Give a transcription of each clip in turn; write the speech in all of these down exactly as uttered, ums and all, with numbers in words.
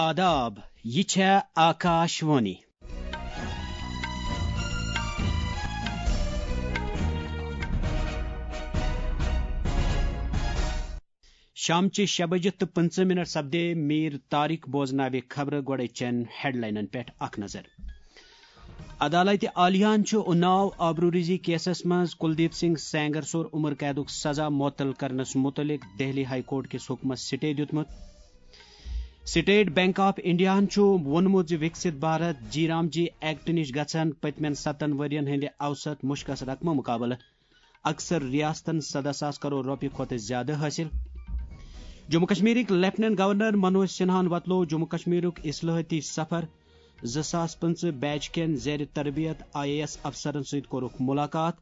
آداب، یہِ چھےٚ آکاش وانی۔ شامچہِ شےٚ بجہِ تہٕ پٕنٛژٕہ منٹ سپدے۔ میٖر طارق بوزناوِ خبرٕ۔ گۄڈَے چٮ۪ن ہیڈلاینن پٮ۪ٹھ اکھ نظر۔ عدالتِ عالیہن چھُ اناو آبروریزی کیسس منٛز کلدیپ سنگھ سینگر سُر عمر قیدُک سزا معطل کرنس متعلق دہلی ہائی کورٹ کِس حکمس سٹے دیُتمُت۔ سٹیٹ بینک آف انڈیاہن چھُ ووٚنمُت زِ وکسِت بھارت جی رام جی ایکٹ نِش گژھن پٔتمٮ۪ن ستن ؤرین ہٕنٛدِ اوسط مُشکس رقمہٕ مُقابلہٕ اکثر ریاستن سدہ ساس کرور رۄپیہِ کھۄتہٕ زیادٕ حٲصِل۔ جموں کشمیرٕکۍ لیفٹیننٹ گورنر منوج سنہاہن وۄتلوو جموں کشمیرُک اصلاحٲتی سفر۔ زٕ ساس پٕنٛژٕہ بیچ کٮ۪ن زیر تربیت آئی اے ایس افسرن سۭتۍ کوٚرُکھ ملاقات۔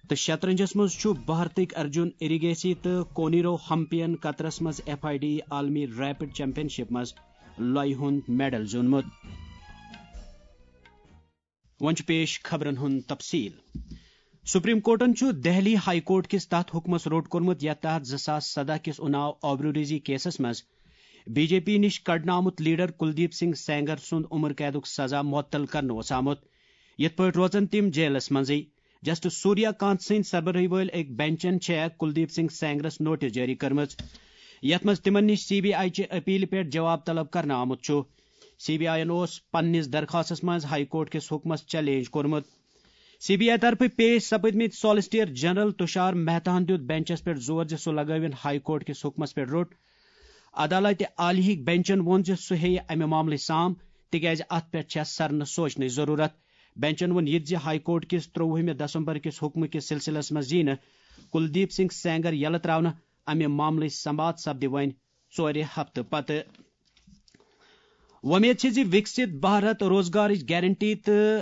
تہٕ شطرنجس منٛز چھُ بھارتٕکۍ ارجُن اریگیسی تہٕ کونیرو ہمپین قطرس منٛز ایف آئی ڈی عالمی ریپڈ چیمپین شپ منٛز لۄیہِ ہُنٛد میڈل زیوٗنمُت۔ وۄنۍ چھُ پیش خبرن ہُنٛد تفصیل۔ سپریم کورٹن چھُ دہلی ہائی کورٹ کِس تتھ حکمس روٚٹ کوٚرمُت، یتھ تحت زٕ ساس سدہ کِس اناو آبروریزی کیسس منٛز بی جے پی نِش کڑنہٕ آمُت لیڈر کلدیپ سنگھ سینگر سُنٛد عمر قیدُک سزا معطل کرنہٕ اوس آمُت۔ یِتھ پٲٹھۍ روزن تِم جیلس منٛزٕے۔ جسٹس سوریا کانت سٕنٛدۍ سربرٲہی وٲلۍ أکۍ بینچن چھےٚ کلدیپ سنگھ سینگرس نوٹس جٲری کٔرمٕژ، یتھ منٛز تِمن نِش سی بی آئی چہِ اپیلہِ پٮ۪ٹھ جواب طلب کرنہٕ آمُت چھُ۔ سی بی آئی یَن اوس پننِس درخاستس منٛز ہائی کورٹ کِس حکمس چیلنج کوٚرمُت۔ سی بی آئی طرفہٕ پیش سپٕدمٕتۍ سالیسیٹر جنرل تشار مہتاہن دیُت بینچس پٮ۪ٹھ زور زِ سُہ لگٲوِن ہائی کورٹ کِس حکمس پٮ۪ٹھ روٚٹ۔ عدالتِ عالیہٕکۍ بینچن ووٚن زِ سُہ ہیٚیہِ امہِ معاملٕچ سام، تِکیازِ اتھ پٮ۪ٹھ چھےٚ سرنہٕ سوچنٕچ ضروٗرت۔ بینچن ووٚن یہِ تہِ زِ ہائی کورٹ کِس ترٛۆوُہمہِ دسمبر کِس حکمہٕ کِس سلسلس منٛز ییہِ نہٕ کلدیپ سنگھ سینگر یلہٕ ترٛاونہٕ۔ امہِ معاملٕچ سماعت سپدِ وۄنۍ ژورِ ہفتہٕ پتہٕ۔ وۄمید چھِ زِ وِکسِت بھارت روزگارٕچ گارنٹی تہٕ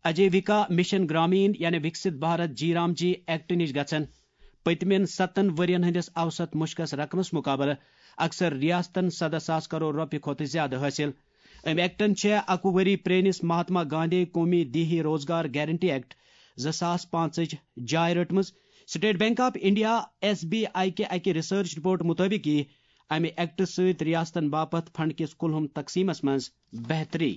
اجیوِکا مِشن گرٛامیٖن یعنی وِکسِت بھارت جی رام جی ایکٹ نِش گژھن پٔتمٮ۪ن ستن ؤرین ہٕنٛدِس اوسط مُشکس رقمس مُقابلہٕ اکثر ریاستن سدہ ساس کرور رۄپیہِ کھۄتہٕ زیادٕ حٲصِل۔ أمۍ ایکٹن چھےٚ اَکوُہ ؤری پرٛٲنِس مہاتما گاندھی قومی دیہی روزگار گارنٹی ایکٹ زٕ ساس پانٛژٕچ جاے رٔٹمٕژ۔ State bank of India, S B I کہِ اَکہِ ریسرچ رپورٹ مُطٲبِق یِیہِ امہِ ایکٹ سۭتۍ ریاستن باپتھ فنڈ کِس کُلہُم تقسیمس منٛز بہتری۔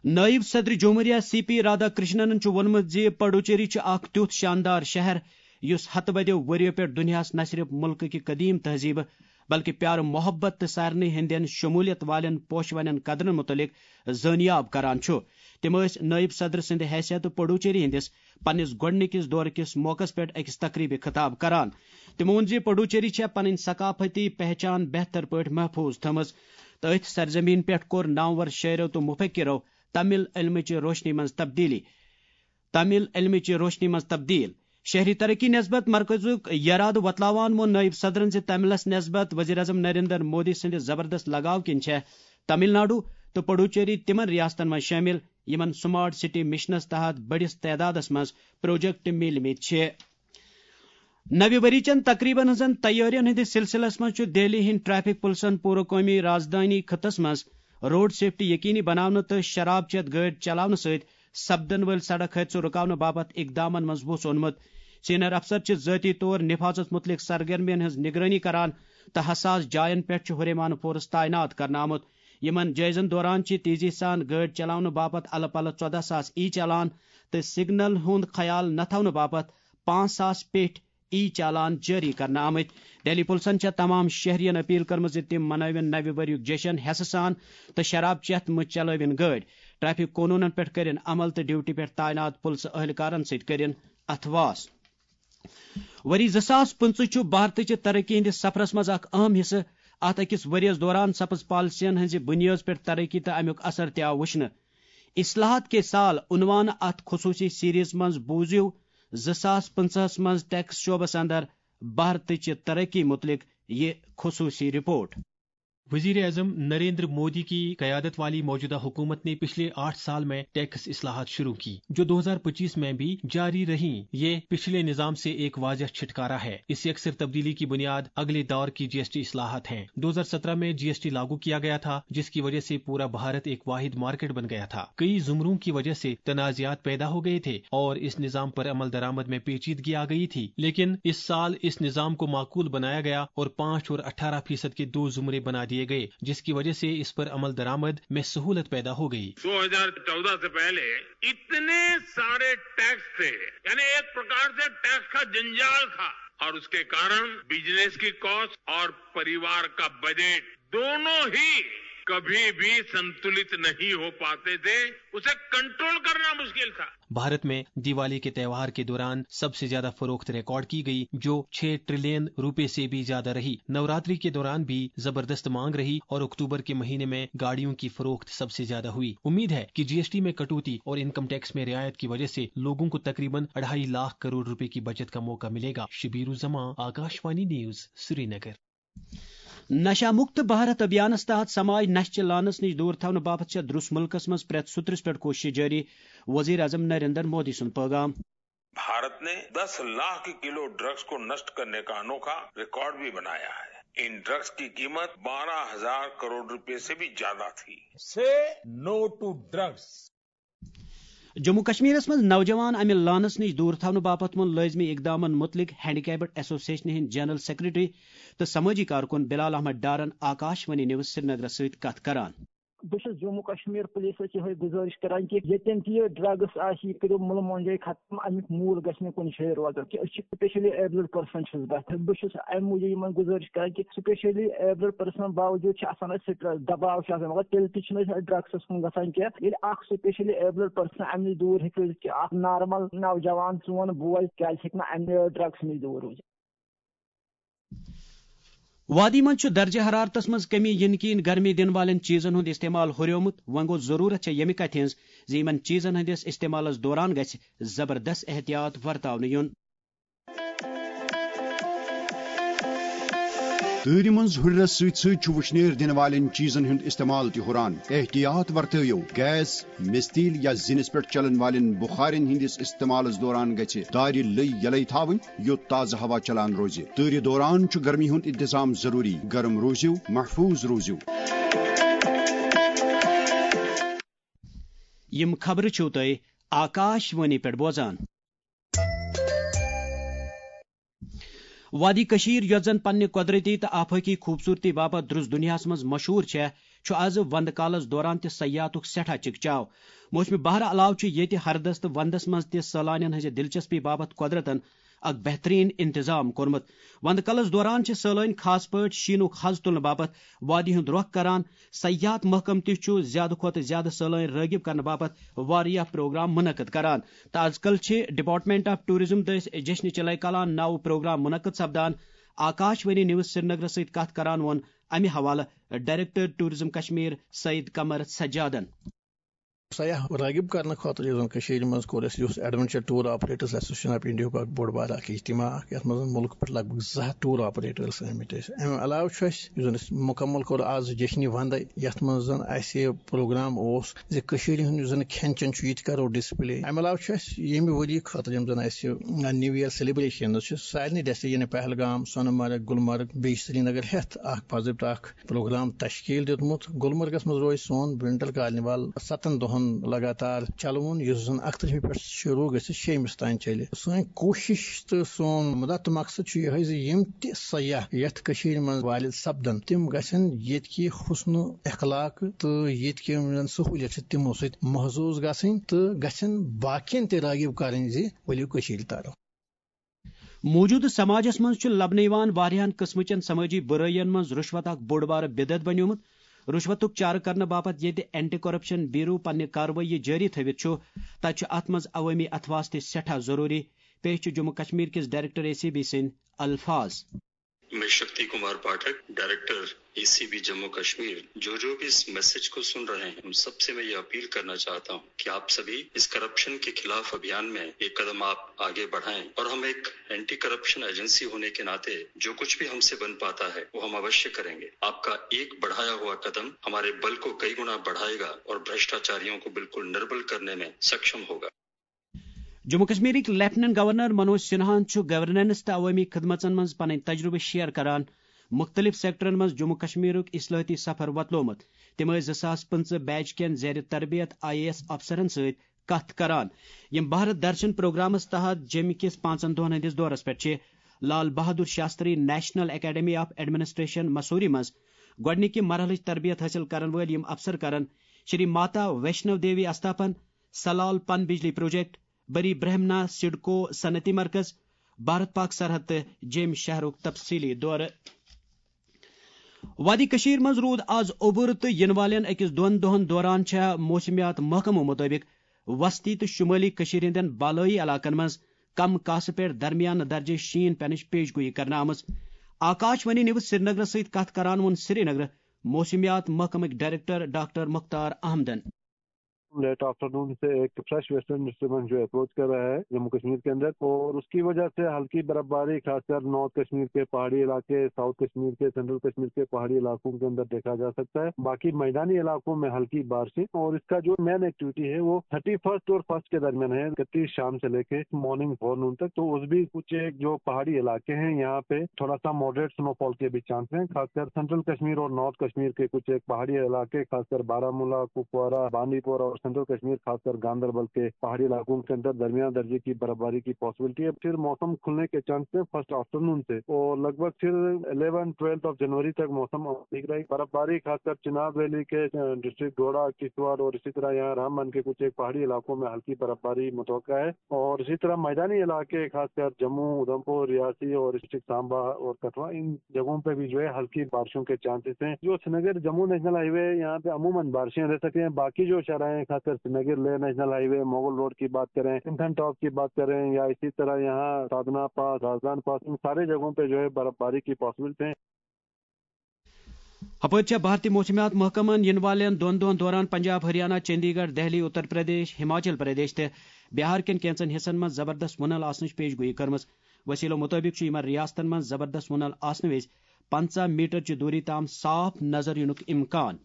نٲیِب صدر جمہوریہ سی پی رادھا کرشنن چھُ ووٚنمُت زِ پڈوچیری چھُ اکھ تیُتھ شاندار شہر یُس ہتہٕ بدیو ؤریو پٮ۪ٹھ دُنیاہس نہ صرف مُلکہٕ کہِ قدیم تہذیبہٕ بلکہِ پیار محبت تہٕ سارنٕے ہٕنٛدٮ۪ن شمولیت والٮ۪ن پوشونٮ۪ن قدرن مُتعلق زٲنیاب کران چھُ۔ تِم ٲسۍ نٲیِب صدر سٕنٛدِ حیثیتہٕ پڈوچیری ہٕنٛدِس پننِس گۄڈٕنِکِس دورٕ کِس موقعس پٮ۪ٹھ أکِس تقریبہِ خطاب کران۔ تِمو ووٚن زِ پڈوچیری چھےٚ پنٕنۍ ثقافتی پہچان بہتر پٲٹھۍ محفوظ تھٲومٕژ تہٕ أتھۍ سرزمین پٮ۪ٹھ کوٚر نامور شٲعرو تہٕ مفکرو تمل علمٕچہِ روشنی منٛز تبدیلی۔ تمل علمٕچہِ روشنی منٛز تبدیل۔ شہری ترقی نسبت مرکزُک یرادٕ وۄتلاوان ووٚن نٲیِب صدرن زِ تملس نسبت وزیر اعظم نریندر مودی سٕنٛدِ زبردست لگاو کِنۍ چھےٚ تمل ناڈو تہٕ پڈوچیری تِمن ریاستن منٛز شٲمِل یِمن سمارٹ سٹی مشنس تحت بٔڑِس تعدادس منٛز پروجیکٹ میلمٕتۍ چھِ۔ نوِ ؤری چٮ۪ن تقریبن ہٕنٛزن تیٲرین ہٕنٛدِس سلسلس منٛز چھُ دہلی ہٕنٛدۍ ٹریفک پُلسن پوٗرٕ قومی رازدٲنی خطس منٛز روڈ سیفٹی یقینی بناونہٕ تہٕ شراب چٮ۪تھ گٲڑۍ چلاونہٕ سۭتۍ سپدن وٲلۍ سڑک حٲدثہٕ رُکاونہٕ باپتھ اقدامن منٛز وُژھ اونمُت۔ سینئر افسر چھِ ذٲتی طور نفاذس مُتعلق سرگرمین ہٕنٛز نگرٲنی کران تہٕ حساس جاین پٮ۪ٹھ چھُ ہُریمانہٕ فورس تعینات کرنہٕ آمُت۔ یِمن جٲیزن دوران چھِ تیزی سان گٲڑۍ چلاونہٕ باپتھ الہٕ پلہٕ ژۄدہ ساس ای چالان تہٕ سگنل ہُنٛد خیال نہ تھاونہٕ باپتھ پانٛژھ ساس پیٹھۍ ای چالان جٲری کرنہٕ آمٕتۍ۔ دہلی پُلسن چھےٚ تمام شہرین اپیل کٔرمٕژ زِ تِم منٲوِن نوِ ؤریُک جشن ہٮ۪سہٕ سان تہٕ شراب چٮ۪تھ مہ چلٲوِن گٲڑۍ۔ ٹریفک قونوٗنن پٮ۪ٹھ کٔرِن عمل تہٕ ڈیوٹی پٮ۪ٹھ تعینات پُلسہٕ اہلکارن سۭتۍ کٔرِن اتھواس۔ ؤری زٕ ساس پٕنٛژٕہ چھُ بھارتٕچہِ ترقی ہٕنٛدِس سفرس منٛز اکھ اہم حصہٕ۔ اتھ أکِس ؤرِیَس دوران سپٕز پالیسین ہٕنٛزِ بُنیٲدۍ پٮ۪ٹھ ترقی تہٕ امیُک اثر تہِ آو وٕچھنہٕ۔ اصلاحات کے سال عنوان اتھ خصوٗصی سیریز منٛز بوٗزِو زٕ ساس پٕنٛژٕہس منٛز ٹیکس شعبس اندر بھارتٕچہِ ترقی مُتعلق یہِ خصوٗصی رپورٹ۔ وزیر اعظم نریندر مودی کی قیادت والی موجودہ حکومت نے پچھلے آٹھ سال میں ٹیکس اصلاحات شروع کی، جو دو ہزار پچیس میں بھی جاری رہی۔ یہ پچھلے نظام سے ایک واضح چھٹکارا ہے۔ اس یکسر تبدیلی کی بنیاد اگلے دور کی جی ایس ٹی اصلاحات ہیں۔ دو ہزار سترہ میں جی ایس ٹی لاگو کیا گیا تھا، جس کی وجہ سے پورا بھارت ایک واحد مارکیٹ بن گیا تھا۔ کئی زمروں کی وجہ سے تنازعات پیدا ہو گئے تھے اور اس نظام پر عمل درآمد میں پیچیدگی آ گئی تھی، لیکن اس سال اس نظام کو معقول بنایا گیا اور پانچ اور اٹھارہ فیصد کے دو زمرے بنا دیے किए गए, जिसकी वजह से इस पर अमल दरामद में सहूलत पैदा हो गई। दो हज़ार चौदह से पहले इतने सारे टैक्स थे, यानी एक प्रकार से टैक्स का जंजाल था, और उसके कारण बिजनेस की कॉस्ट और परिवार का बजट दोनों ही कभी भी संतुलित नहीं हो पाते थे, उसे कंट्रोल करना मुश्किल था। भारत में दिवाली के त्यौहार के दौरान सबसे ज्यादा फरोख्त रिकॉर्ड की गई, जो छह ट्रिलियन रुपए से भी ज्यादा रही। नवरात्रि के दौरान भी जबरदस्त मांग रही और अक्टूबर के महीने में गाड़ियों की फरोख्त सबसे ज्यादा हुई। उम्मीद है कि जीएसटी में कटौती और इनकम टैक्स में रियायत की वजह से लोगों को तकरीबन अढ़ाई लाख करोड़ रुपए की बचत का मौका मिलेगा। शबीर उज़्ज़मा, आकाशवाणी न्यूज़, श्रीनगर। نشہ مکت بھارت ابھیانس تحت سماج نشہ چہ لانس نش دور تھاونہٕ باپتھ چھےٚ درٛس مُلکس منٛز پرٛٮ۪تھ سُترس پٮ۪ٹھ کوٗششہٕ جٲری، وزیر اعظم نریندر مودی سُنٛد پٲغام۔ بھارت نے دس لاکھ کلو ڈرگز کو نشٹ کرنے کا انوکھا ریکارڈ بھی بنایا ہے۔ ان ڈرگز کی قیمت بارہ ہزار کروڑ روپے سے بھی زیادہ تھی۔ Say no to drugs. Jammu کشمیرس منٛز نوجوان امہِ لانس نش دور تھاونہٕ باپتھ ووٚن لٲزمی اقدامن متعلق ہینڈی کیپڈ ایسوسیشنہِ ہٕنٛدۍ جنرل سیکرٹری تہٕ سمٲجی کارکُن بلال احمد ڈارن آکاش وانی نیوز سرینگرس سۭتۍ کتھ کران۔ بہٕ چھُس جموں کشمیر پُلیٖسس یِہوٚے گُزٲرِش کران کہِ ییٚتٮ۪ن تہِ یہِ ڈرگس آسہِ، یہِ کٔرِو مُلہٕ مۄنجے ختم، اَمیُک موٗل گژھِ نہٕ کُنہِ جایہِ روزُن کہِ أسۍ چھِ specially abled person چھُس بہٕ۔ بہٕ چھُس اَمہِ موٗجوٗب یِمن گُزٲرِش کران کہِ specially abled person باوجوٗد چھِ آسان اَسہِ سٹریس، دباو چھُ آسان، مگر تیٚلہِ تہِ چھِنہٕ أسۍ ڈرگسس کُن گژھان کینٛہہ۔ ییٚلہِ اکھ specially abled person اَمہِ نِش دوٗر ہیٚکہِ روٗزِتھ کہِ اکھ نارمل نوجوان سون بوے کیازِ ہیٚکہِ نہٕ اَمہِ ڈرگس نِش دوٗر روٗزِتھ؟ وادی منٛز چھُ درجہ حرارتس منٛز کمی یِنہٕ کِنۍ گرمی دِنہٕ والٮ۪ن چیٖزن ہُنٛد استعمال ہُریومُت۔ وۄنۍ گوٚو، ضروٗرت چھےٚ ییٚمہِ کتھِ ہٕنٛز زِ یِمن چیٖزن ہٕنٛدِس استعمالس دوران گژھِ زبردست احتیاط ورتاونہٕ یُن۔ تۭرِ منٛز ہُرٮ۪رس سۭتۍ سۭتۍ چھُ وُشنیر دِنہٕ والٮ۪ن چیٖزن ہُنٛد استعمال تہِ ہُران۔ احتیاط ورتٲیِو، گیس، مِستیٖل یا زِنِس پٮ۪ٹھ چلن والٮ۪ن بُخارٮ۪ن ہٕنٛدِس استعمالس دوران گژھِ دارِ لٔے یلے تھاوٕنۍ، یوٚت تازٕ ہوا چلان روزِ۔ تۭرِ دوران چھُ گرمی ہُنٛد انتظام ضروٗری۔ گرم روٗزِو، محفوٗظ روٗزِو۔ یِم خبرٕ چھِو تُہۍ آکاش وانی پٮ۪ٹھ بوزان۔ وادی کشمیر، یۄس زن پننہِ قۄدرتی تہٕ آفٲقی خوٗبصوٗرتی باپتھ درٛس دُنیاہس منٛز مشہوٗر چھےٚ، چھُ از ونٛدٕ کالس دوران تہِ سیاحتُک سٮ۪ٹھاہ چکچاو۔ موسمِ بہار علاوٕ چھُ ییٚتہِ ہردس تہٕ ونٛدس منٛز تہِ سٲلانٮ۪ن ہٕنٛزِ دلچسپی باپتھ قۄدرتن اکھ بہترین انتظام کوٚرمُت۔ وندٕ کلس دوران چھِ سٲلٲنۍ خاص پٲٹھۍ شیٖنُک حظ تُلنہٕ باپتھ وادی ہُنٛد رۄخ کران۔ سیاحت محکمہٕ تہِ چھُ زیادٕ کھۄتہٕ زیادٕ سٲلٲنۍ رٲغب کرنہٕ باپتھ واریاہ پروگرام منعقد کران۔ تہٕ از کل چھِ Department of Tourism دٔسۍ جشن چلے کلان ناوٕ پروگرام منعقد سپدان۔ آکاش وانی نیوز سرینگرس سۭتۍ کتھ کران ووٚن امہِ حوالہٕ ڈائریکٹر ٹورازم کشمیر سعید قمر سجادن۔ سیاح رٲغب کرنہٕ خٲطرٕ یُس زن کٔشیٖرِ منٛز کوٚر اَسہِ، یُس Adventure Tour Operators Association of India ہُک اکھ بوٚڑ بارٕ اکھ اجتماع اکھ، یتھ منٛز زن مُلکہٕ پٮ۪ٹھ لگ بگ زٕ ہتھ ٹور آپریٹرس آمٕتۍ ٲسۍ۔ امہِ علاوٕ چھُ اَسہِ، یُس زن أسۍ مُکمل کوٚر آز جشنِ وندے، یتھ منٛز زن اَسہِ پروگرام اوس زِ کٔشیٖرِ ہُنٛد یُس زن کھٮ۪ن چٮ۪ن چھُ، یہِ تہِ کرو ڈسپلے۔ امہِ علاوٕ چھُ اَسہِ ییٚمہِ ؤری خٲطرٕ یِم زن اَسہِ New Year celebrations چھِ، سارنٕے ڈیسٹِنیشن پہلگام، سۄنہٕ مرگ، گُلمرگ، بیٚیہِ سرینگر ہٮ۪تھ اکھ باضٲبطہٕ اکھ پروگرام تشکیل دیُتمُت۔ گلمرگس منٛز روزِ سون ونٹر کارنیوال ستن دۄہن لگاتار چلوُن، یُس زن اکترٕہمہِ پٮ۪ٹھ شروع گژھِ شیٚیمِس تام چلہِ۔ سٲنۍ کوٗشش تہٕ سون مُدا تہٕ مقصد چھُ یِہوٚے زِ یِم تہِ سیاح یتھ کٔشیٖرِ منٛز وارد سپدن، تِم گژھن ییٚتہِ کہِ حسن اخلاق تہٕ ییٚتہِ کہِ یِم زن سہوٗلیت چھِ، تِمو سۭتۍ محظوظ گژھٕنۍ تہٕ گژھن باقین تہِ رٲغب کرٕنۍ زِ ؤلِو کٔشیٖرِ ترو۔ موجودٕ سماجس منٛز چھُ لبنہٕ یِوان واریاہن قٕسمٕچن سمٲجی بُرٲیین منٛز رُشوت اکھ بوٚڑ بارٕ بدعت بنیومُت۔ رُشوتُک چارٕ کرنہٕ باپتھ ییٚتہِ اینٹی کرپشن بیورو پننہِ کاروٲیی جٲری تھٲوِتھ چھُ، تتہِ چھُ اتھ منٛز عوٲمی اتھواس تہِ سٮ۪ٹھاہ ضروٗری۔ پیش چھُ جموں کشمیر کِس ڈائریکٹر اے سی بی سٕنٛدۍ الفاظ۔ میں Shakti Kumar Pathak, director A C B Jammu Kashmir, جو جو بھی اس میسج کو سن رہے ہیں، ان سب سے میں یہ اپیل کرنا چاہتا ہوں کہ آپ سبھی اس کرپشن کے خلاف ابھیان میں ایک قدم آپ آگے بڑھائیں اور ہم ایک اینٹی کرپشن ایجنسی ہونے کے ناطے جو کچھ بھی ہم سے بن پاتا ہے، وہ ہم اوشیہ کریں گے۔ آپ کا ایک بڑھایا ہوا قدم ہمارے بل کو کئی گنا بڑھائے گا اور بھرشٹاچاریوں کو بالکل نربل کرنے میں سکشم ہوگا۔ جموں کشمیرٕکۍ لیفٹیننٹ گورنر منوج سنہاہن چھُ گورننس تہٕ عوٲمی خدمژن منٛز پنٕنۍ تجربہٕ شیئر کران۔ مُختٔلِف سیکٹرن منٛز جموں کشمیرُک اصلاحٲتی سفر وۄتلومُت۔ تِم ٲسۍ زٕ ساس پٕنٛژٕہ بیچ کٮ۪ن زیر تربیت آئی اے ایس افسرن سۭتۍ کتھ کران، یِم بھارت درشن پروگرامس تحت جیٚمہِ کِس پانٛژن دۄہن ہٕنٛدِس دورس پٮ۪ٹھ چھِ۔ Lal Bahadur Shastri national academy of administration Mussoorie منٛز گۄڈٕنِکہِ مرحلٕچ تربیت حٲصِل کرن وٲلۍ یِم افسر کرن شری ماتا ویشنو دیوی استھاپن، سلال پن بجلی پروجیکٹ، بری برہمنا سڈکو صنعتی مرکز، بھارت پاک سرحد تہٕ جیمۍ شہرُک تفصیلی دورٕ۔ وادی کشمیر منٛز روٗد آز اوٚبُر تہٕ یِنہٕ والٮ۪ن أکِس دۄن دۄہَن دوران چھےٚ موسمیات محکمہٕ مُطٲبِق وسطی تہٕ شُمٲلی کٔشیٖرِ ہٕنٛدٮ۪ن بالٲیی علاقن منٛز کم کاسہٕ پٮ۪ٹھ درمیانہٕ درجے شیٖن پینٕچ پیش گویی کرنہٕ آمٕژ۔ آکاش وانی نیوز سرینگرس سۭتۍ کتھ کران ووٚن سرینگر موسمیات محکمٕکۍ ڈائریکٹر ڈاکٹر مختار احمدن۔ لیٹ آفٹرنون سے ایک فریش ویسٹرن ڈسٹربنس جو اپروچ کر رہا ہے جموں کشمیر کے اندر، اور اس کی وجہ سے ہلکی برفباری خاص کر نارتھ کشمیر کے پہاڑی علاقے، ساؤتھ کشمیر کے، سینٹرل کشمیر کے پہاڑی علاقوں کے اندر دیکھا جا سکتا ہے۔ باقی میدانی علاقوں میں ہلکی بارشیں، اور اس کا جو مین ایکٹیویٹی ہے وہ تھرٹی فرسٹ اور فرسٹ کے درمیان ہے، اکتیس شام سے لے کے مارننگ فور نون تک۔ تو اس بھی کچھ ایک جو پہاڑی علاقے ہیں یہاں پہ تھوڑا سا ماڈریٹ سنو فال کے بھی چانس ہیں، خاص کر سینٹرل کشمیر اور نارتھ کشمیر کے کچھ ایک پہاڑی علاقے، خاص کر بارہ ملا، کپوارہ، بانڈی پورہ اور سینٹرل کشمیر، خاص کر گاندربل کے پہاڑی علاقوں کے اندر درمیان درجے کی برفباری کی پاسبلٹی ہے۔ پھر موسم کھلنے کے چانس ہیں فرسٹ آفٹرنون سے، اور لگ بھگ پھر الیون ٹویلتھ آف جنوری تک موسم ٹھیک رہے گی۔ برفباری خاص کر چناب ویلی کے، ڈسٹرکٹ ڈوڈا، کشتواڑ اور اسی طرح یہاں رام بن کے کچھ ایک پہاڑی علاقوں میں ہلکی برفباری متوقع ہے، اور اسی طرح میدانی علاقے خاص کر جموں، ادھمپور، ریاسی اور ڈسٹرکٹ سانبا اور کٹھوا، ان جگہوں پہ بھی جو ہے ہلکی بارشوں کے چانسز ہیں۔ جو سرینگر جموں نیشنل ہائی وے ہے، یہاں پہ عموماً بارشیں رہ سکتی ہیں۔ باقی جو شاہراہیں ہیں، خاص کر سرینگر لے نیشنل ہائی وے، مغل روڈ کی بات کریں، سمتھن ٹاپ کی بات کریں، یا اسی طرح یہاں سادنا پاس، رازدان پاس، ان سارے جگہوں پہ جو ہے برفباری کی پاسبلٹی ہیں۔ ہپٲرۍ چھےٚ بھارتی موسمیات محکمن یِنہٕ والٮ۪ن دۄن دۄہن دوران پنجاب، ہریانہ، چندی گڑھ، دہلی، اتر پردیش، ہماچل پردیش تہٕ بہار کٮ۪ن کینٛژن حصن منٛز زبردست وُنل آسنٕچ پیش گویی کٔرمٕژ۔ وسیلو مُطٲبِق چھُ یِمن ریاستن منٛز زبردست وُنل آسنہٕ وِزِ پنٛژاہ میٹر چہِ دوٗری تام صاف نظر یِنُک امکان۔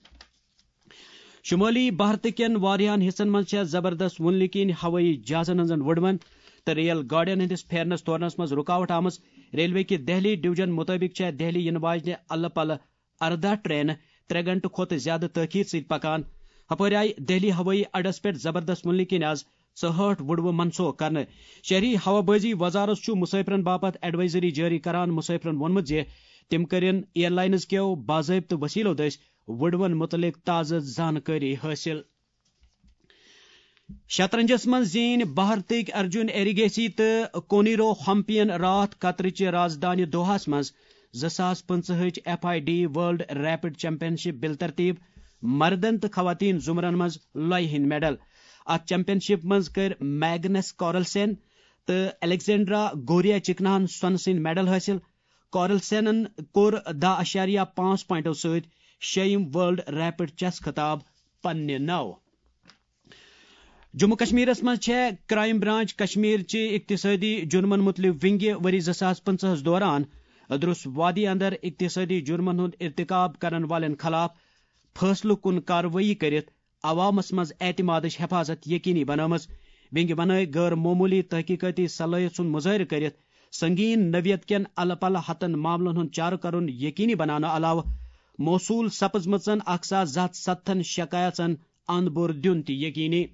شمٲلی بھارت کٮ۪ن واریاہن حصن منٛز چھےٚ زبردست وُنلہِ کِنۍ ہوٲیی جہازن ہٕنٛزن وُڈوَن تہٕ ریل گاڑٮ۪ن ہٕنٛدِس پھیرنس تورنس منٛز رُکاوٹ آمٕژ۔ ریلوے کہِ دہلی ڈویژن مُطٲبِق چھےٚ دہلی یِنہٕ واجنہِ الہٕ پلہٕ ارداہ ٹرینہٕ ترٛےٚ گھنٹہٕ کھۄتہٕ زیادٕ تٲخیر سۭتۍ پکان۔ ہپٲرۍ آیہِ دہلی ہوٲیی اڈس پٮ۪ٹھ زبردست وُنلہِ کِنۍ آز ژُہٲٹھ وُڈوٕ منسوخ کرنہٕ۔ شہری ہوابازی وزارت چھُ مسافرن باپتھ ایڈوائزری جٲری کران۔ مسافرن ووٚنمُت زِ تِم کٔرِن ایئر لائنز کٮ۪و باضٲبطہٕ وسیلو دٔسۍ وُڈوَن مُتعلق تازٕ زانکٲری حٲصِل۔ شطرنجس منٛز زیٖنۍ بھارتٕکۍ ارجُن ایریگیسی تہٕ کونیرو ہمپین راتھ قطرٕچہِ رازدانہِ دوحاہس منٛز زٕ ساس پٕنٛژٕہٕچ F I D world rapid championship بالترتیب مردن تہٕ خواتین زمرن منٛز لۄیہِ ہٕنٛدۍ میڈل۔ اتھ چیمپین شپ منٛز کٔرۍ میگنس کارلسن تہٕ الیگزینڈرا گوریا چکناہن سۄنہٕ سٕنٛدۍ میڈل حٲصِل۔ کارلسنن کوٚر دَہ اَشاریہ پانٛژھ پوائنٹو سۭتۍ شیٚیِم ورلڈ ریپڈ چیس خطاب پننہِ ناوٕ۔ جموں کشمیرس منٛز چھےٚ کرائم برانچ کشمیر چہِ اقتصٲدی جرمن مُتعلق ونگہِ ؤری زٕ ساس پٕنٛژٕہس دوران ادرس وادی اندر اقتصٲدی جرمن ہُنٛد ارتکاب کرن والٮ۪ن خلاف فٲصلہٕ کُن کاروٲیی کٔرِتھ عوامس منٛز اعتمادٕچ حفاظت یقینی بنٲومٕژ۔ ونگہِ بنٲوۍ غٲر معموٗلی تحقیقٲتی صلٲحیت سُنٛد مظٲہرٕ کٔرِتھ سنگین نوعیت کٮ۪ن الہٕ پلہٕ ہتن معاملن ہُنٛد چارٕ کرُن یقینی بناونہٕ علاوٕ موصول سپٕزمٕژن اکھ ساس زٕ ہتھ ستتھن شکایژن اند بور دیُن تہِ یقینی۔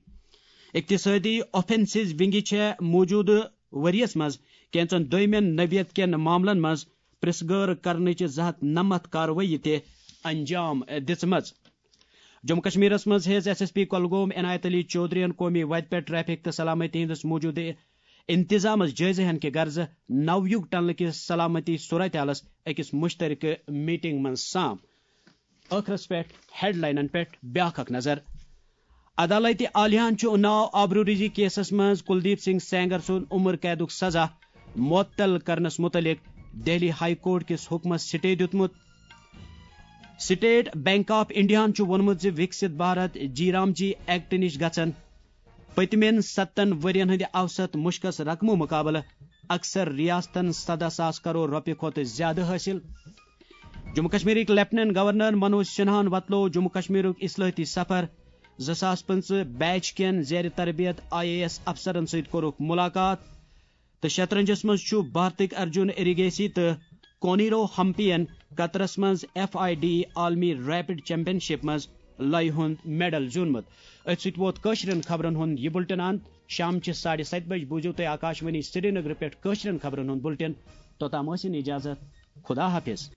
اقتصٲدی آفینسز ونگہِ چھےٚ موٗجوٗدٕ ؤریَس منٛز کینٛژن دوٚیمٮ۪ن نوعیت کٮ۪ن معاملن منٛز پرٛژھ گٲر کرنٕچ زٕ ہتھ نَمَتھ کاروٲیی تہِ انجام دِژمٕژ۔ جموں کشمیرس منٛز ہیٚژ ایس ایس پی کۄلگوم عنایت علی چودھرین قومی وتہِ پٮ۪ٹھ ٹریفک تہٕ سلامتی ہٕنٛدِس موٗجوٗدٕ انتظامس جٲیزٕ ہن کہِ غرضہٕ نو یُگ ٹنلہٕ کِس سلامتی صورتحالس أکِس مشترکہٕ میٹنگ منٛز سام۔ ٲخرس پٮ۪ٹھ ہیڈلاینن پٮ۪ٹھ بیاکھ اکھ نظر۔ عدالتِ عالیہن چھُ اناو آبروریزی کیسس منٛز کلدیپ سنگھ سینگر سُنٛد عمر قیدُک سزا معطل کرنس متعلق دہلی ہائی کورٹ کِس حکمس سٹے دیُتمُت۔ سٹیٹ بینک آف انڈیاہن چھُ ووٚنمُت زِ وکسِت بھارت جی رام جی ایکٹ نِش گژھن پٔتمٮ۪ن ستن ؤرین ہٕنٛدِ اوسط مُشکس رقمہٕ مُقابلہٕ اکثر ریاستن سدہ ساس کرور رۄپیہِ کھۄتہٕ زیادٕ حٲصِل۔ جموں کشمیرٕکۍ لیفٹیننٹ گورنر منوج سنہاہن وۄتلوو جموں کشمیرُک اصلاحٲتی سفر۔ زٕ ساس پٕنٛژٕہ بیچ کٮ۪ن زیر تربیت آئی اے ایس افسرن سۭتۍ کوٚرُکھ مُلاقات۔ تہٕ شطرنجس منٛز چھُ بھارتٕکۍ ارجُن ایریگیسی تہٕ کونیرو ہمپین قطرس منٛز ایف آئی ڈی عالمی ریپڈ چیمپین شپ منٛز لۄیہِ ہُنٛد میڈل زیوٗنمُت۔ أتھۍ سۭتۍ ووت کٲشرٮ۪ن خبرن ہُنٛد یہِ بُلٹن اند۔ شامچہِ ساڑِ ستہِ بجہِ بوٗزِو تُہۍ آکاشوانی سرینگرٕ پٮ۪ٹھ کٲشرٮ۪ن خبرن ہُنٛد بُلٹن۔ توٚتام ٲسِن اجازت۔ خدا حافظ۔